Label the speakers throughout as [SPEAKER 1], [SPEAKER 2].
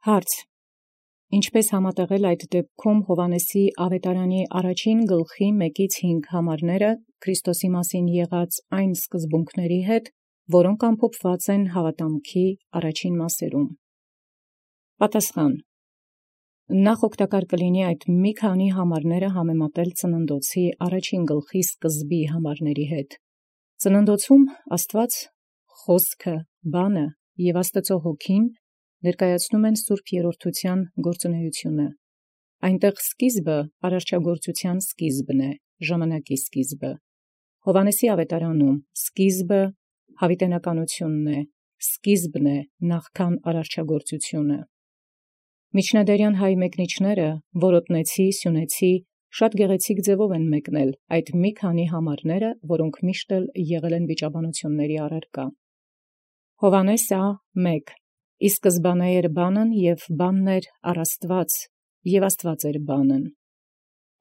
[SPEAKER 1] Հարց. Ինչպես համատեղել այդ դեպքում Հովհաննեսի ավետարանի առաջին գլխի 1-5 համարները Քրիստոսի մասին եղած այն սկզբունքների հետ, որոնք ամփոփված են հավատամքի առաջին մասերում։ Պատասխան. Նախ օգտակար կլինի այդ մի քանի համարները համեմատել Ծննդոցի առաջին գլխի սկզբի համարների հետ։ Ծննդոցում Աստված խոսքը, բանը և Աստծո հոգին ներկայացնում են Սուրբ Երրորդության գործունեությունը։ Այնտեղ սկիզբը արարչագործության սկիզբն է, ժամանակի սկիզբը։ Հովհաննեսի ավետարանում սկիզբը հավիտենականությունն է, սկիզբն է նախքան արարչագործությունը։ Միջնադարյան հայ մեկնիչները Որոտնեցի, Սյունեցի շատ գեղեցիկ ձևով են մեկնել այդ մի քանի համարները, որոնք միշտ էլ եղել են վիճաբանությունների առարկա։ Հովհաննես Ա.1. Ի սկզբանե էր բանն, և բանն էր առ Աստված, և Աստված էր բանն։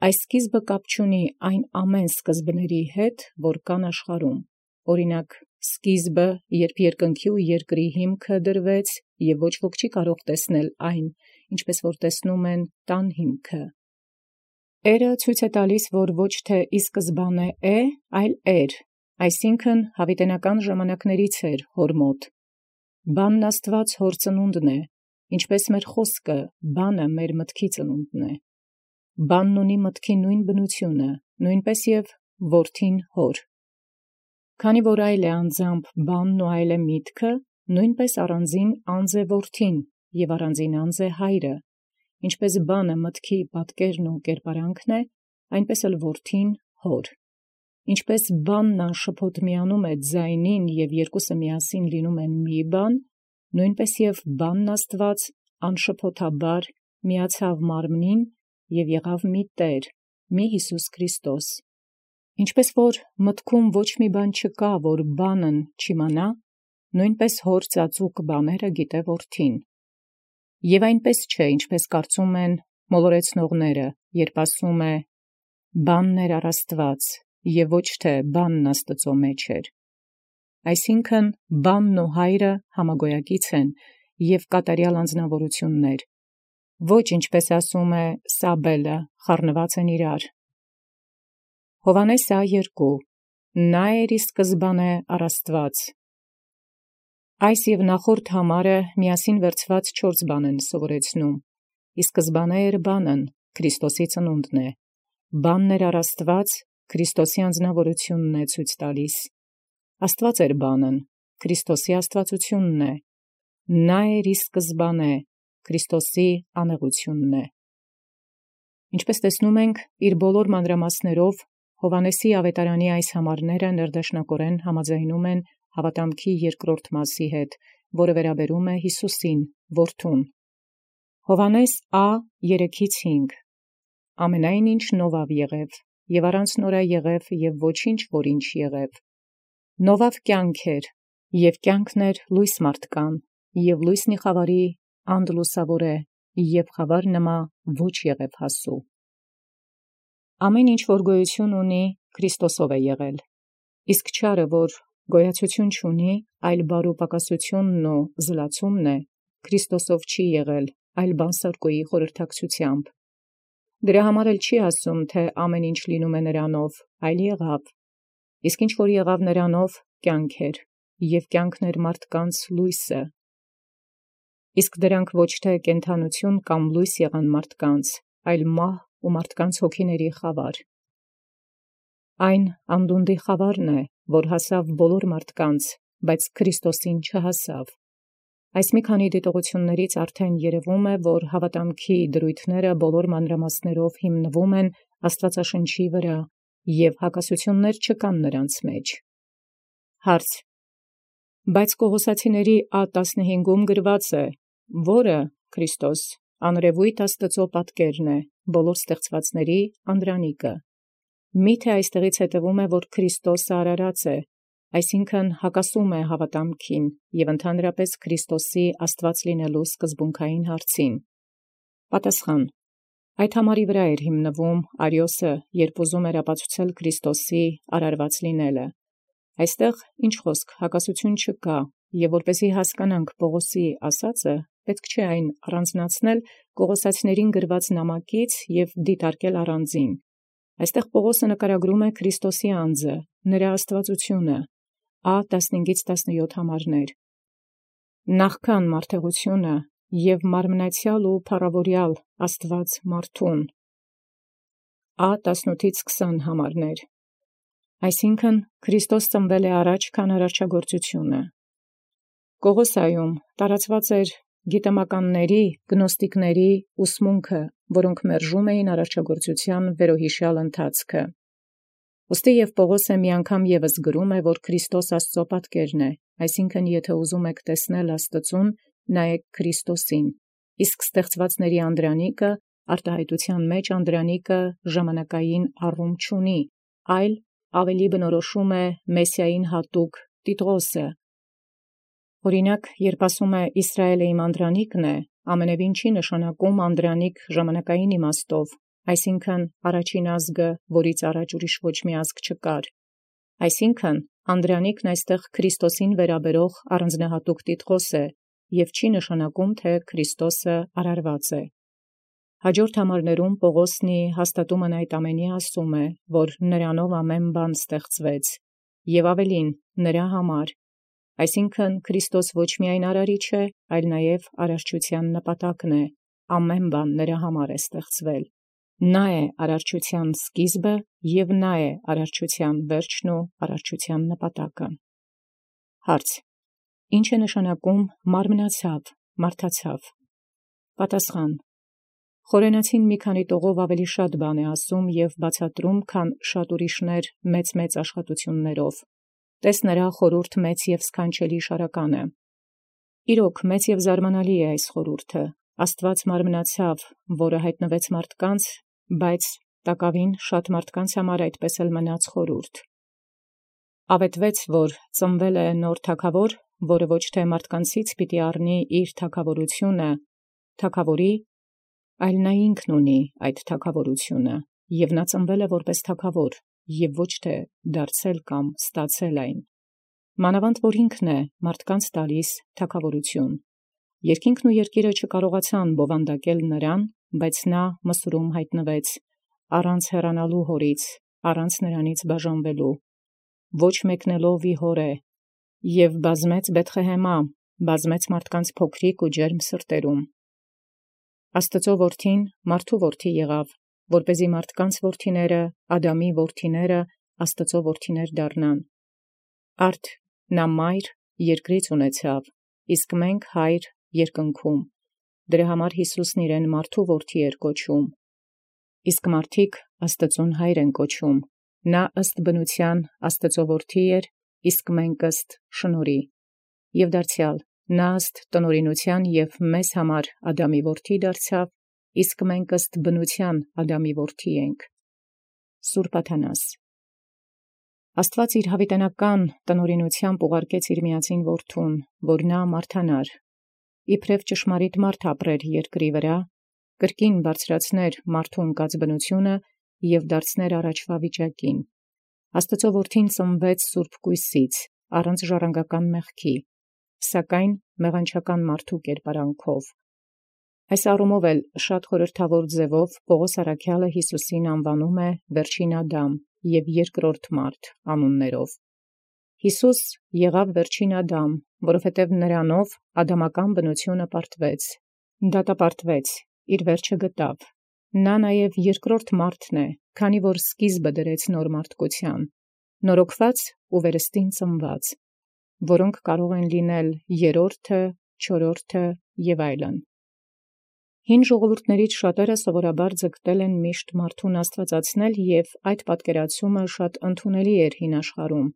[SPEAKER 1] Այս սկիզբը կապ չունի այն ամեն սկզբների հետ, որ կան աշխարհում։ Օրինակ, սկիզբը, երբ երկնքի ու երկրի հիմքը դրվեց, և ոչ ոք չի կարող տեսնել այն, ինչպես որ տեսնում են տան հիմքը։ Էրը ցույց է տալիս, որ ոչ թե ի սկզբանե է, այլ էր, այսինքն հավիտենական ժամանակներից էր հոր մոտ։ Բանն Աստված հոր ծնունդն է, ինչպես մեր խոսքը, բանը մեր մտքի ծնունդն է։ Բանն ունի մտքի նույն բնությունը, նույնպես և որդին հոր։ Քանի որ այլ է անձամբ բանն ու այլ է միտքը, նույնպես առանձին անձ է որդին և առանձին անձ է հայրը, ինչպես բանը մտքի պատկերն ու կերպարանքն է, այնպես էլ որդին հոր։ Ինչպես բանն անշփոթ միանում է ձայնին և երկուսը միասին լինում են մի բան, նույնպես և բանն Աստված անշփոթաբար միացավ մարմնին և եղավ մի Տեր, մի Հիսուս Քրիստոս։ Ինչպես որ մտքում ոչ մի բան չկա, որ բանն չիմանա, նույնպես հոր ծածուկ բաները գիտե որդին։ Եվ այնպես չէ, ինչպես կարծում են մոլորեցնողները, երբ ասում է. «Բանն էր առ Աստված, և ոչ թե բանն Աստծո մեջ էր»։ Այսինքն բանն ու հայրը համագոյակից են և կատարյալ անձնավորություններ։ Ոչ ինչպես ասում է Սաբելը, խառնված են իրար։ Հովհաննես Ա.2. Նա էր ի սկզբանե առ Աստված։ Այս և նախորդ համարը միասին վերցված 4 բան են սովորեցնում։ Ի սկզբանե էր բանն, Քրիստոսի ծնունդն է։ Բանն էր առ Աստված, Քրիստոսի անձնավորությունն է ցույց տալիս։ Աստված էր բանն, Քրիստոսի աստվածությունն է։ Նա էր ի սկզբանե, Քրիստոսի անեղությունն է։ Ինչպես տեսնում ենք, իր բոլոր մանրամասներով Հովհաննեսի ավետարանի այս համարները ներդաշնակորեն համաձայնում են հավատամքի երկրորդ մասի հետ, որը վերաբերում է Հիսուսին, որդուն։ Հովհաննես Ա.3-5 Ամենայն ինչ նովավ եղև, և առանց նորա եղև, և ոչինչ որ ինչ եղև։ Նովավ կյանք էր, և կյանքն էր լույս մարդկան, և լույսնի խավարի անդլուսավոր է, և խավար նմա ոչ եղև հասու։ Ամեն ինչ որ գոյություն ունի, Քրիստոսով է եղել։ Իսկ չարը, որ գոյացություն չունի, այլ բարու պակասությունն ու զլացումն է, Քրիստոսով չի եղել, այլ բանսարկոյի խորհրդակցությամբ։ Դրա համար էլ չի ասում, թե ամեն ինչ լինում է նրանով, այլ եղավ։ Իսկ ինչ որ եղավ նրանով, կյանք էր, և կյանքն էր մարդկանց լույսը։ Իսկ դրանք ոչ թե կենդանություն կամ լույս եղան մարդկանց, այլ մահ ու մարդկանց հոգիների խավար։ Այն անդունդի խավարն է, որ հասավ բոլոր մարդկանց, բայց Քրիստոսին չհասավ։ Այս մի քանի դիտողություններից արդեն երևում է, որ հավատամքի դրույթները բոլոր մանրամասներով հիմնվում են Աստվածաշնչի վրա, և հակասություններ չկան նրանց մեջ։ Հարց. Բայց Կողոսացիների Ա.15-ում գրված է, որը Քրիստոս անրևույթ Աստծո պատկերն է, բոլոր ստեղծվածների անդրանիկը։ Միթե այստեղից հետևում է, որ Քրիստոսը արարած է, այսինքն հակասում է հավատամքին և ընդհանրապես Քրիստոսի Աստված լինելու սկզբունքային հարցին։ Պատասխան. Այդ համարի վրա էր հիմնվում Արիոսը, երբ ուզում էր ապացուցել Քրիստոսի արարված լինելը։ Այստեղ ինչ խոսք հակասություն չկա, և որպեսզի հասկանանք Պողոսի ասածը, պետք չէ այն առանձնացնել Կողոսացիներին գրված նամակից և դիտարկել առանձին։ Այստեղ Պողոսը նկարագրում է Քրիստոսի անձը, նրա աստվածությունը, Ա 15-17 համարներ, նախքան մարդեղությունը և մարմնացյալ ու փառավորյալ Աստված մարդուն, Ա 18-20 համարներ, այսինքն Քրիստոս ծնվել է առաջ, քան արարչագործությունը։ Կողոսայում տարածված էր գիտեմականների, գնոստիկների ուսմունքը, որոնք մերժում էին արարչագործության վերոհիշյալ ընթացքը։ Ուստի և Պողոսը մի անգամ ևս գրում է, որ Քրիստոս Աստծո պատկերն է, այսինքն եթե ուզում եք տեսնել Աստծուն, նայեք Քրիստոսին, իսկ ստեղծվածների անդրանիկը, արտահայտության մեջ անդրանիկը ժամանակային առում չունի, այլ ավելի բնորոշում է Մեսիային հատուկ Տիտղոսը։ Օրինակ, երբ ասում է Իսրայելը իմ անդրանիկն է, ամենևին չի նշանակում անդրանիկ ժամանակային իմաստով, այսինքն առաջին ազգը, որից առաջ ուրիշ ոչ մի ազգ չկար, այսինքն անդրանիկն այստեղ Քրիստոսին վերաբերող առանձնահատուկ Տիտղոս է և չի նշանակում, թե Քրիստոսը արարված է։ Հաջորդ համարներում Պողոսն հաստատումն այդ ամենի ասում է, որ նրանով ամեն բան ստեղծվեց, և ավելին նրա համար, այսինքն Քրիստոս ոչ միայն արարիչ է, այլ նաև արարչության նպատակն է, ամեն բան նրա համար է ստեղծվել։ Նա է արարչության սկիզբը և նա է արարչության վերջն ու արարչության նպատակը։ Հարց. Ինչ է նշանակում մարմնացավ, մարդացավ։ Պատասխան. Խորենացին մի քանի տողով ավելի շատ բան է ասում և բացատրում, քան շատ ուրիշներ մեծ աշխատություններով։ Տես նրա խորհուրդ մեծ և սքանչելի շարականը։ Իրոք մեծ և զարմանալի է այս խորհուրդը։ Աստված մարմնացավ, որը հայտնվեց մարդկանց, բայց տակավին շատ մարդկանց համար այդպես էլ մնաց խորհուրդ։ Ավետվեց, որ ծնվել է նոր թագավոր, որը ոչ թե մարդկանցից պիտի առնի իր թագավորությունը, թագավորի, այլ նա ինքն ունի այդ թագավորությունը, և նա ծնվել է որպես թագավոր, և ոչ թե դարձել կամ ստացել այն։ Մանավանդ որ ինքն է մարդկանց տալիս թագավորություն։ Երկինքն ու երկիրը չկարողացան բովանդակել նրան, բայց նա Մսուրում հայտնվեց, առանց հեռանալու հորից, առանց նրանից բաժանվելու, ոչ մեկնելով ի հոր է, և բազմեց Բեթղեհեմա, բազմեց մարդկանց փոքրիկ ու ջերմ սրտերում։ Աստծո որդին մարդու որդի եղավ, որպեսզի մարդկանց որդիները, Ադամի որդիները, Աստծո որդիներ դառնան։ Արդ նա մայր երկրից ունեցավ, իսկ մենք հայր երկնքում։ Դրա համար Յիսուսն իրեն մարդու որդի էր կոչում, իսկ մարդիկ Աստծուն հայր են կոչում։ Նա ըստ բնության Աստծո որդի էր, իսկ մենք ըստ շնորհի։ Եվ դարձյալ նա ըստ տնօրինության և մեզ համար Ադամի որդի դարձավ, իսկ մենք ըստ բնության Ադամի որդի ենք։ Սուրբ Աթանաս։ Աստված իր հավիտենական տնօրինությամբ ուղարկեց իր միածին որդուն, որ նա մարդանար, իբրև ճշմարիտ մարդ ապրեր երկրի վրա, կրկին բարձրացներ մարդու ընկած բնությունը և դարձներ առաջվա վիճակին։ Աստծո որդին ծնվեց սուրբ կույսից, առանց ժառանգական մեղքի, սակայն մեղանչական մարդու կերպարանքով։ Այս առումով էլ շատ խորհրդավոր ձևով Պողոս առաքյալը Յիսուսին անվանում է վերջին Ադամ և երկրորդ մարդ անուններով։ Յիսուս եղավ վերջին Ադամ, որովհետև նրանով ադամական բնությունը պարտվեց, դատապարտվեց, իր վերջը գտավ։ Նա նաև երկրորդ մարդն է, քանի որ սկիզբը դրեց նոր մարդկության, նորոգված ու վերստին ծնված, որոնք կարող են լինել երրորդը, չորրորդը և այլն։ Հին ժողովուրդներից շատերը սովորաբար ձգտել են միշտ մարդուն աստվածացնել, և այդ պատկերացումը շատ ընդունելի էր հին աշխարհում,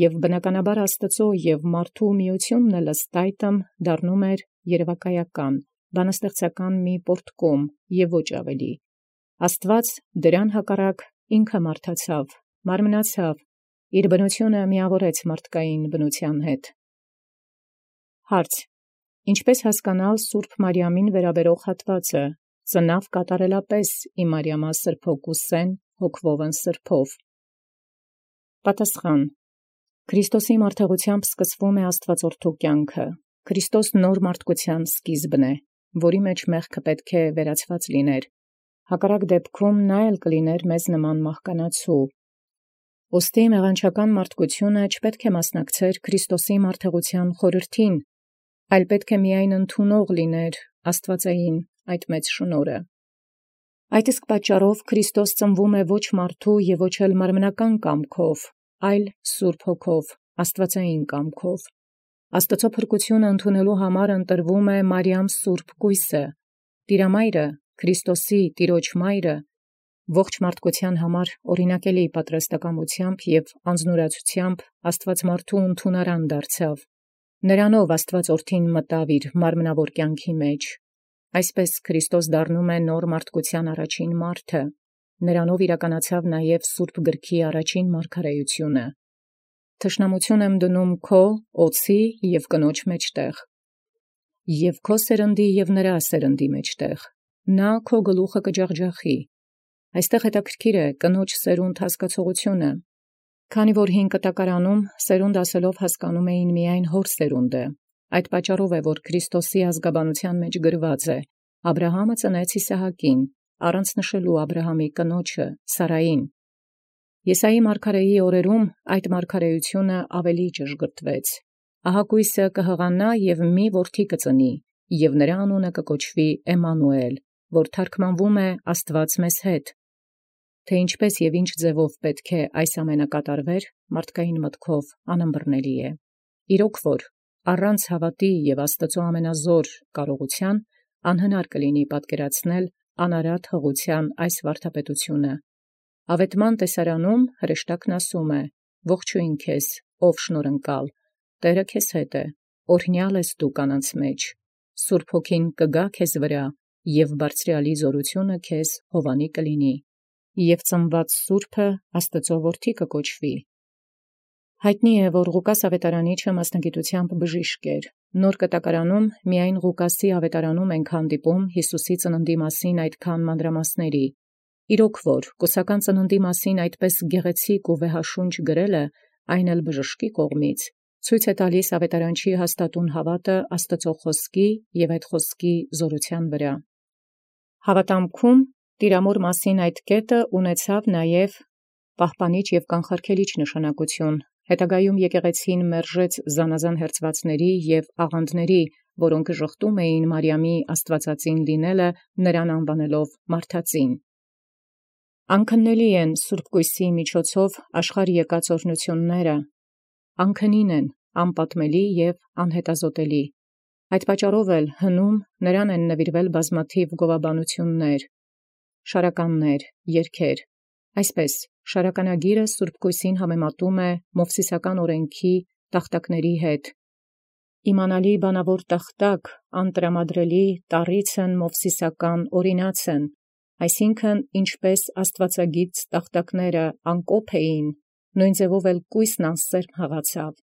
[SPEAKER 1] և բնականաբար Աստծո և մարդու միությունն էլ ըստ այդմ դառնում էր երևակայական, բանաստեղծական մի պոռթկում և ոչ ավելի։ Աստված դրան հակառակ ինքը մարդացավ, մարմնացավ, իր բնությունը միավորեց մարդկային բնության հետ։ Հարց. Ինչպե՞ս հասկանալ Սուրբ Մարիամին վերաբերող հատվածը. ծնավ կատարելապես ի Մարիամա սրբոքուսեն հոգվովն սրբով։ Պատասխան. Քրիստոսի մարդեղությամբ սկսվում է Աստվածորդու կյանքը, Քրիստոս նոր մարդկության սկիզբն է, որի մեջ մեղքը պետք է վերացված լիներ, հակառակ դեպքում նա էլ կլիներ մեզ նման մահկանացու։ Ոստի մեղանչական մարդկությունը չպետք է մասնակցեր Քրիստոսի մարդեղության խորհրդին, այլ պետք է միայն ընդունող լիներ աստվածային այդ մեծ շնորհը։ Այդ իսկ պատճառով Քրիստոս ծնվում է ոչ մարդու և ոչ էլ մարմնական կամքով, այլ Սուրբ Հոգով, աստվածային կամքով։ Աստծո փրկությունը ընդունելու համար ընտրվում է Մարիամ Սուրբ Կույսը, Տիրամայրը, Քրիստոսի Տիրոջ Մայրը, ողջ մարդկության համար օրինակելի պատրաստակամությամբ և անձնուրացությամբ Աստված մարդու ընդունարան դարձավ։ Նրանով Աստված Որդին մտավ իր մարմնավոր կյանքի մեջ։ Այսպես Քրիստոս դառնում է նոր մարդկության առաջին մարդը։ Նրանով իրականացավ նաև Սուրբ Գրքի առաջին մարգարեությունը։ Թշնամություն եմ դնում քո, օձի և կնոջ մեջտեղ, և քո սերնդի և նրա սերնդի մեջտեղ, նա քո գլուխը կջախջախի։ Այստեղ հետաքրքիր է կնոջ սերունդ հասկացողությունը, քանի որ հին կտակարանում սերունդ ասելով հասկանում էին միայն հոր սերունդը։ Այդ պատճառով է, որ Քրիստոսի ազգաբանության մեջ գրված է. Աբրահամը ծնեց Իսահակին, առանց նշելու Աբրահամի կնոջը Սարային։ Եսայի մարգարեի օրերում այդ մարգարեությունը ավելի ճշգրտվեց։ Ահա կույսը կհղանա և մի որդի կծնի, և նրա անունը կկոչվի Էմմանուել, որ թարգմանվում է Աստված մեզ հետ։ Թե ինչպես և ինչ ձևով պետք է այս ամենը կատարվեր, մարդկային մտքով անըմբռնելի է։ Իրոք որ առանց հավատի և Աստծո ամենազոր կարողության անհնար կլինի պատկերացնել անարատ հղության այս վարդապետությունը։ Ավետման տեսարանում հրեշտակն ասում է. «Ողջույն քեզ, ով շնորհընկալ, Տերը քեզ հետ է, օրհնյալ ես դու կանանց մեջ, Սուրբ Հոգին կգա քեզ վրա, և բարձրյալի զորությունը քեզ հովանի կլինի, և ծնված Սուրբը Աստծո որդի կկոչվի»։ Հայտնի է, որ Ղուկաս ավետարանիչը մասնագիտությամբ բժիշկ էր։ Նոր կտակարանում միայն Ղուկասի ավետարանում ենք հանդիպում Հիսուսի ծննդի մասին այդքան մանրամասների։ Իրոք որ կուսական ծննդի մասին այդպես գեղեցիկ ու վեհաշունչ գրելը, այն էլ բժշկի կողմից, ցույց է տալիս ավետարանչի հաստատուն հավատը Աստծո խոսքի և այդ խոսքի զորության վրա։ Հավատամքում Տիրամոր մասին այդ կետը ունեցավ նաև պահպանիչ և կանխարգելիչ նշանակություն։ Հետագայում եկեղեցին մերժեց զանազան հերձվածների և աղանդների, որոնք ժխտում էին Մարիամի աստվածածին լինելը, նրան անվանելով մարդածին։ Անքննելի են Սուրբ Կույսի միջոցով աշխարհ եկած օրհնությունները, անքնին են, անպատմելի և անհետազոտելի։ Այդ պատճառով էլ հնում նրան են նվիրվել բազմաթիվ գովաբանություններ, շարականներ, երգեր։ Այսպես շարականագիրը Սուրբ Կույսին համեմատում է Մովսիսական օրենքի տախտակների հետ։ Իմանալի բանավոր տախտակ, անտրամադրելի տառիցն Մովսիսական օրինացն, այսինքն ինչպես աստվածագիծ տախտակները անկոփ էին, նույն ձևով էլ կույսն անսերմ հղացավ։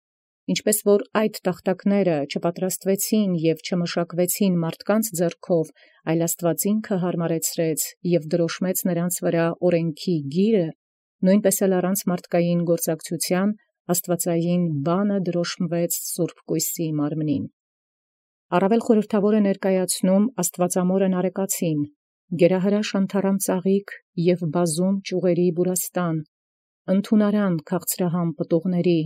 [SPEAKER 1] Ինչպես որ այդ տախտակները չպատրաստվեցին և չմշակվեցին մարդկանց ձեռքով, այլ Աստված ինքը հարմարեցրեց և դրոշմեց նրանց վրա օրենքի գիրը, նույնպես էլ առանց մարդկային գործակցության աստվածային բանը դրոշմվեց Սուրբ Կույսի մարմնին։ Առավել խորհրդավոր է ներկայացնում Աստվածամորն արեկացին, գերահրաշ անթառամ ծաղիկ և բազում ճյուղերի բուրաստան, ընդունարան քաղցրահամ պտուղների,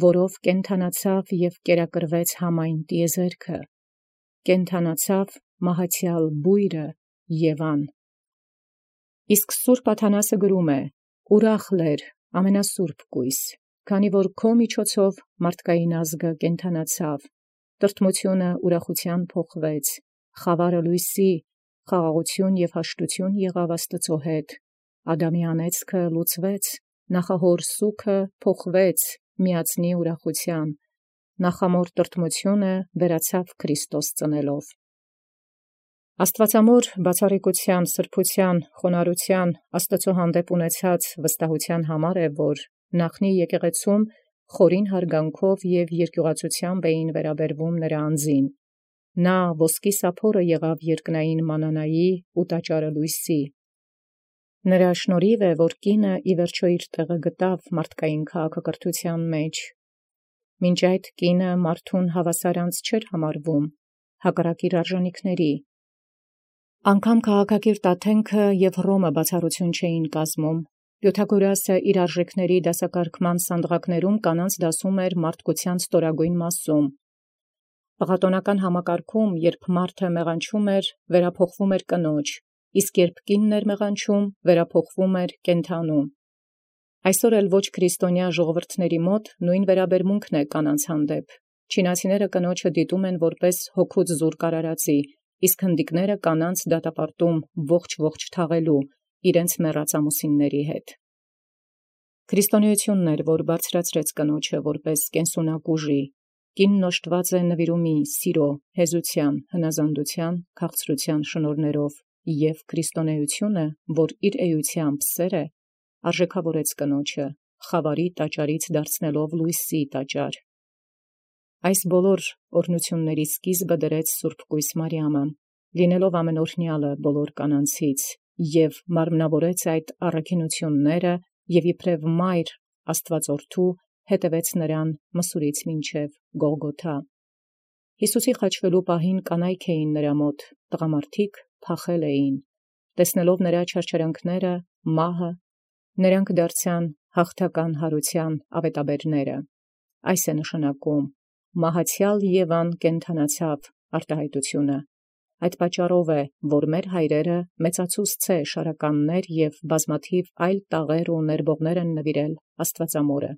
[SPEAKER 1] որով կենդանացավ և կերակրվեց համայն տիեզերքը, կենդանացավ մահացյալ բույրը Եվան։ Իսկ Սուրբ Աթանասը գրում է. «Ուրախ լեր, ամենասուրբ կույս, քանի որ քո միջոցով մարդկային ազգը կենդանացավ, տրտմությունը ուրախության փոխվեց, խավարը լույսի, խաղաղություն և հաշտություն եղավ Աստծո հետ, Ադամի անեծքը լուծվեց, նախահոր սուգը փոխվեց միածնի ուրախության, նախամոր տրտմությունը վերացավ Քրիստոս ծնելով»։ Աստվածամոր բացառիկության, սրբության, խոնարհության, Աստծո հանդեպ ունեցած վստահության համար է, որ նախնի եկեղեցում խորին հարգանքով և երկյուղածությամբ էին վերաբերվում նրա անձին։ Նա ոսկի սափորը եղավ երկնային մանանայի ու տաճարը լույսի։ Նրա շնորհիվ է, որ կինը ի վերջո իր տեղը գտավ մարդկային քաղաքակրթության մեջ։ Մինչ այդ կինը մարդուն հավասարանց չէր համարվում, հակառակ իր արժանիքների։ Անգամ քաղաքակիրթ Աթենքը և Հռոմը բացառություն չէին կազմում։ Պյութագորասը իր արժեքների դասակարգման սանդղակներում կանանց դասում էր մարդկության ստորագույն մասում։ Պղատոնական համակարգում, երբ մարդը մեղանչում էր, վերափոխվում էր կնոջ, իսկ երբ կինն էր մեղանչում, վերափոխվում էր կենդանու։ Այսօր էլ ոչ քրիստոնյա ժողովրդների մոտ նույն վերաբերմունքն է կանանց հանդեպ։ Չինացիները կնոջը դիտում են որպես հոգուց զուրկ արարածի, իսկ հնդիկները կանանց դատապարտում ողջ թաղելու իրենց մեռած ամուսինների հետ։ Քրիստոնեությունն էր, որ բարձրացրեց կնոջը որպես կենսունակ ուժի։ Կինն օժտված է նվիրումի, սիրո, հեզության, հնազանդության, քաղցրության շնորհներով, և քրիստոնեությունը, որ իր էությամբ սեր է, արժեքավորեց կնոջը, խավարի տաճարից դարձնելով լույսի տաճար։ Այս բոլոր օրհնությունների սկիզբը դրեց Սուրբ Կույս Մարիամը, լինելով ամենօրհնյալը բոլոր կանանցից, և մարմնավորեց այդ առաքինությունները և իբրև մայր Աստուածորդու հետևեց նրան Մսուրից մինչև Գողգոթա։ Յիսուսի խաչվելու պահին կանայք էին նրա մոտ, տղամարդիկ փախել էին։ Տեսնելով նրա չարչարանքները, մահը, նրանք դարձան հաղթական հարության ավետաբերները։ Այս է նշանակում. մահացյալ Եվան կենդանացավ արտահայտությունը։ Այդ պատճառով է, որ մեր հայրերը մեծացուցցե շարականներ և բազմաթիվ այլ տաղեր ու ներբողներ են նվիրել Աստվածամորը։